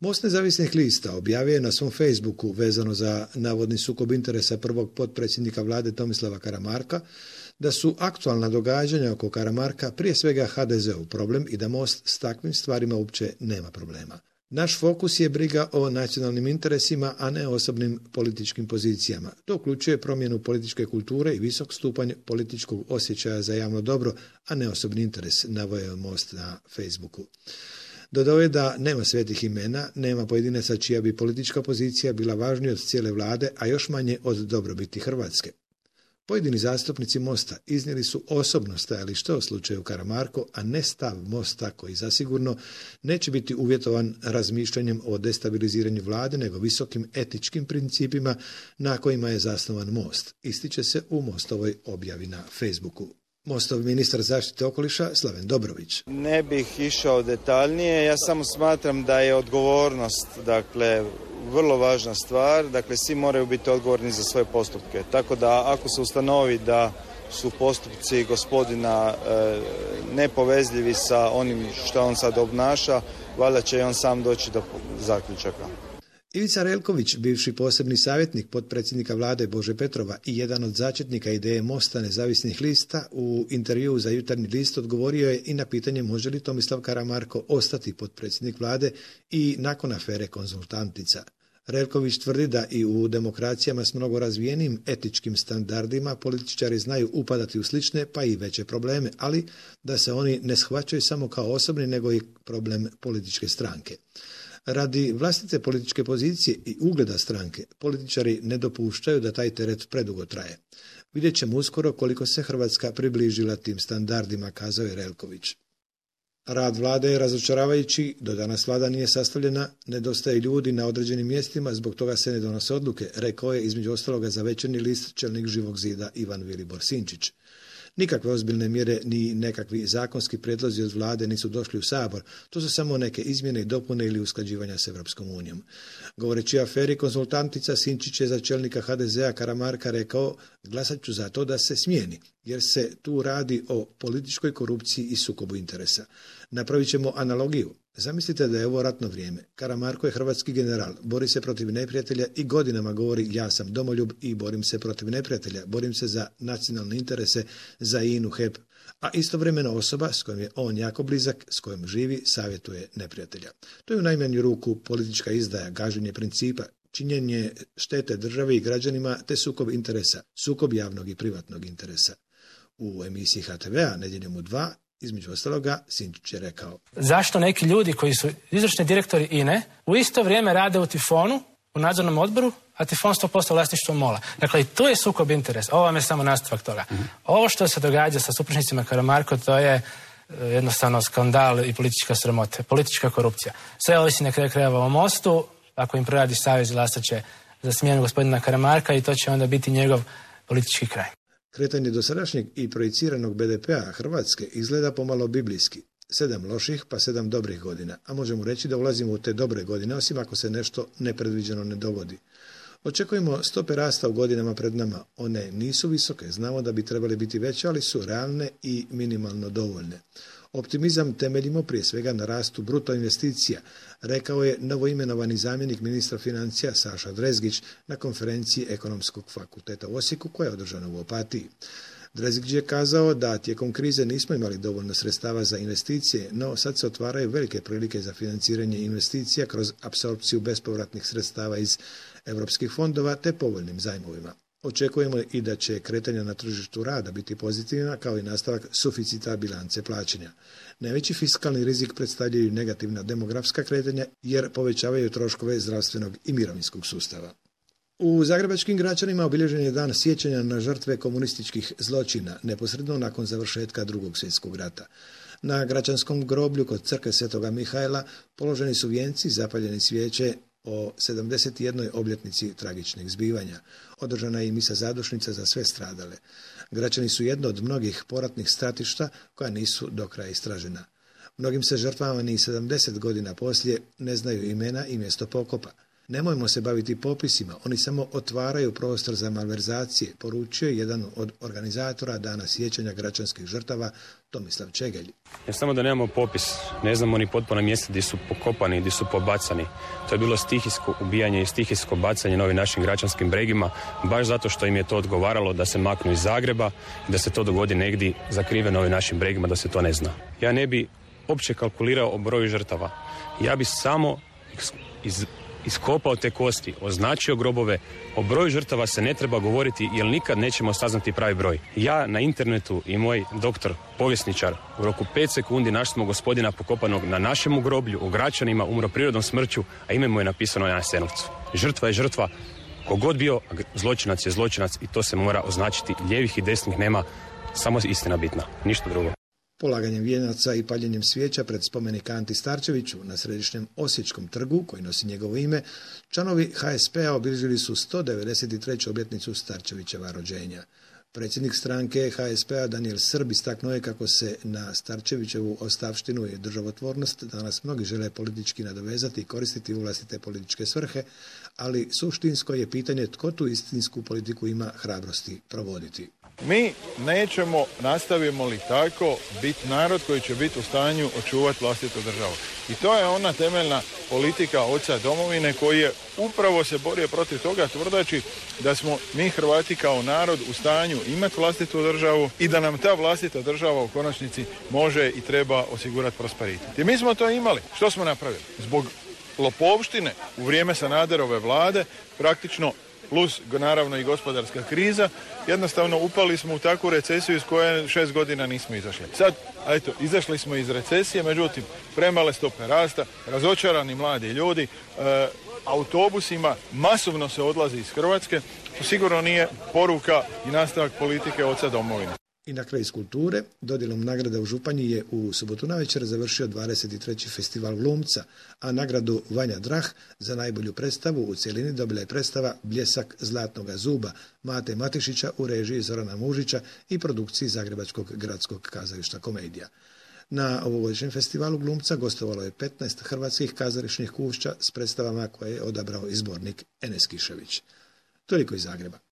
Most nezavisnih lista objavio je na svom Facebooku vezano za navodni sukob interesa prvog potpredsjednika vlade Tomislava Karamarka da su aktualna događanja oko Karamarka prije svega HDZ-ov problem i da Most s takvim stvarima uopće nema problema. Naš fokus je briga o nacionalnim interesima, a ne osobnim političkim pozicijama. To uključuje promjenu političke kulture i visok stupanj političkog osjećaja za javno dobro, a ne osobni interes, naveo je Most na Facebooku. Dodao je da nema svetih imena, nema pojedinaca čija bi politička pozicija bila važnija od cijele vlade, a još manje od dobrobiti Hrvatske. Pojedini zastupnici Mosta iznijeli su osobno stajalište o slučaju Karamarko, a ne stav Mosta koji zasigurno neće biti uvjetovan razmišljanjem o destabiliziranju vlade, nego visokim etičkim principima na kojima je zasnovan Most. Ističe se u Mostovoj objavi na Facebooku. Mostov ministar zaštite okoliša Slaven Dobrović. Ne bih išao detaljnije, ja samo smatram da je odgovornost, vrlo važna stvar, svi moraju biti odgovorni za svoje postupke. Tako da ako se ustanovi da su postupci gospodina nepovezljivi sa onim što on sad obnaša, valjda će i on sam doći do zaključaka. Ivica Relković, bivši posebni savjetnik potpredsjednika vlade Bože Petrova i jedan od začetnika ideje Mosta nezavisnih lista, u intervjuu za Jutarnji list odgovorio je i na pitanje može li Tomislav Karamarko ostati potpredsjednik vlade i nakon afere Konzultantica. Relković tvrdi da i u demokracijama s mnogo razvijenim etičkim standardima političari znaju upadati u slične pa i veće probleme, ali da se oni ne shvaćaju samo kao osobni nego i problem političke stranke. Radi vlastite političke pozicije i ugleda stranke, političari ne dopuštaju da taj teret predugo traje. Vidjet ćemo uskoro koliko se Hrvatska približila tim standardima, kazao je Relković. Rad vlade je razočaravajući, do danas vlada nije sastavljena, nedostaje ljudi na određenim mjestima, zbog toga se ne donose odluke, rekao je između ostaloga za Večernji list čelnik Živog zida Ivan Vilibor Sinčić. Nikakve ozbiljne mjere ni nekakvi zakonski prijedlozi od vlade nisu došli u Sabor, to su samo neke izmjene i dopune ili usklađivanja s Europskom unijom. Govoreći o aferi Konzultantica, Sinčić je za čelnika HDZ-a Karamarka rekao glasat ću za to da se smijeni, jer se tu radi o političkoj korupciji i sukobu interesa. Napravit ćemo analogiju. Zamislite da je ovo ratno vrijeme. Karamarko je hrvatski general, bori se protiv neprijatelja i godinama govori ja sam domoljub i borim se protiv neprijatelja, borim se za nacionalne interese, za INA-u, HEP, a istovremeno osoba s kojom je on jako blizak, s kojom živi, savjetuje neprijatelja. To je u najmanju ruku politička izdaja, gaženje principa, činjenje štete državi i građanima te sukob interesa, sukob javnog i privatnog interesa. U emisiji HTV-a Nedjeljom u 2 između ostaloga, Sinčić je rekao. Zašto neki ljudi koji su izvršni direktori INA-e u isto vrijeme rade u Tifonu, u nadzornom odboru, a Tifon 100% vlasništvo MOL-a. Dakle, i tu je sukob interesa. Ovo vam je samo nastavak toga. Ovo što se događa sa supružnicima Karamarko, to je jednostavno skandal i politička sramota, politička korupcija. Sve ovisi na kraju krajeva o Mostu. Ako im proradi savez, glasat će za smjenu gospodina Karamarka i to će onda biti njegov politički kraj. Kretanje dosadašnjeg i projiciranog BDP-a Hrvatske izgleda pomalo biblijski. 7 loših pa 7 dobrih godina, a možemo reći da ulazimo u te dobre godine, osim ako se nešto nepredviđeno ne dogodi. Očekujemo stope rasta u godinama pred nama. One nisu visoke, znamo da bi trebali biti veće, ali su realne i minimalno dovoljne. Optimizam temeljimo prije svega na rastu bruto investicija, rekao je novoimenovani zamjenik ministra financija Saša Drezgić na konferenciji Ekonomskog fakulteta u Osijeku koja je održana u Opatiji. Drezgić je kazao da tijekom krize nismo imali dovoljno sredstava za investicije, no sad se otvaraju velike prilike za financiranje investicija kroz apsorpciju bespovratnih sredstava iz europskih fondova te povoljnim zajmovima. Očekujemo i da će kretanja na tržištu rada biti pozitivna kao i nastavak suficita bilance plaćanja. Najveći fiskalni rizik predstavljaju negativna demografska kretanja jer povećavaju troškove zdravstvenog i mirovinskog sustava. U zagrebačkim Gračanima obilježen je dan sjećanja na žrtve komunističkih zločina neposredno nakon završetka Drugog svjetskog rata. Na Gračanskom groblju kod crkve Svetoga Mihajla položeni su vijenci, zapaljeni svijeće o 71. obljetnici tragičnih zbivanja. Održana je i misa zadušnica za sve stradale. Gračani su jedno od mnogih poratnih stratišta koja nisu do kraja istražena. Mnogim se žrtvama ni 70 godina poslije ne znaju imena i mjesto pokopa. Nemojmo se baviti popisima, oni samo otvaraju prostor za malverzacije, poručio je jedan od organizatora Dana sjećanja gračanskih žrtava, Tomislav Čegelj. Ja samo da nemamo popis, ne znamo ni potpuno mjesta gdje su pokopani, gdje su pobacani. To je bilo stihijsko ubijanje i stihijsko bacanje na ovim našim gračanskim bregima, baš zato što im je to odgovaralo da se maknu iz Zagreba i da se to dogodi negdje zakriveno na ovim našim bregima, da se to ne zna. Ja ne bi uopće kalkulirao o broju žrtava. Ja bi samo iskopao te kosti, označio grobove, o broju žrtava se ne treba govoriti jer nikad nećemo saznati pravi broj. Ja na internetu i moj doktor, povjesničar, u roku 5 sekundi našli smo gospodina pokopanog na našemu groblju, u Gračanima, umro prirodnom smrću, a ime mu je napisano na Jasenovcu. Žrtva je žrtva, kogod bio, zločinac je zločinac i to se mora označiti. Lijevih i desnih nema, samo istina bitna, ništa drugo. Polaganjem vijenaca i paljenjem svijeća pred spomenik Anti Starčeviću na središnjem Osječkom trgu, koji nosi njegovo ime, članovi HSP-a obilježili su 193. obljetnicu Starčevićeva rođenja. Predsjednik stranke HSP-a Danijel Srb istaknuo je kako se na Starčevićevu ostavštinu i državotvornost danas mnogi žele politički nadovezati i koristiti u vlastite političke svrhe, ali suštinsko je pitanje tko tu istinsku politiku ima hrabrosti provoditi. Mi nećemo, nastavimo li tako, biti narod koji će biti u stanju očuvati vlastitu državu. I to je ona temeljna politika oca domovine koji je upravo se borio protiv toga tvrdeći da smo mi Hrvati kao narod u stanju imati vlastitu državu i da nam ta vlastita država u konačnici može i treba osigurati prosperitet. I mi smo to imali. Što smo napravili? Zbog lopovštine u vrijeme Sanaderove vlade praktično plus naravno i gospodarska kriza, jednostavno upali smo u takvu recesiju iz koje 6 godina nismo izašli. Sad, izašli smo iz recesije, međutim, premale stope rasta, razočarani mladi ljudi, autobusima masovno se odlazi iz Hrvatske, to sigurno nije poruka i nastavak politike oca domovine. I na kraju iz kulture, dodjelom nagrada u Županji je u subotu navečer završio 23. festival glumca, a nagradu Vanja Drah za najbolju predstavu u cjelini dobila je predstava Bljesak zlatnoga zuba Mate Matišića u režiji Zorana Mužića i produkciji Zagrebačkog gradskog kazališta Komedija. Na ovogodišnjem festivalu glumca gostovalo je 15 hrvatskih kazališnih kušća s predstavama koje je odabrao izbornik Enes Kišević. Toliko iz Zagreba.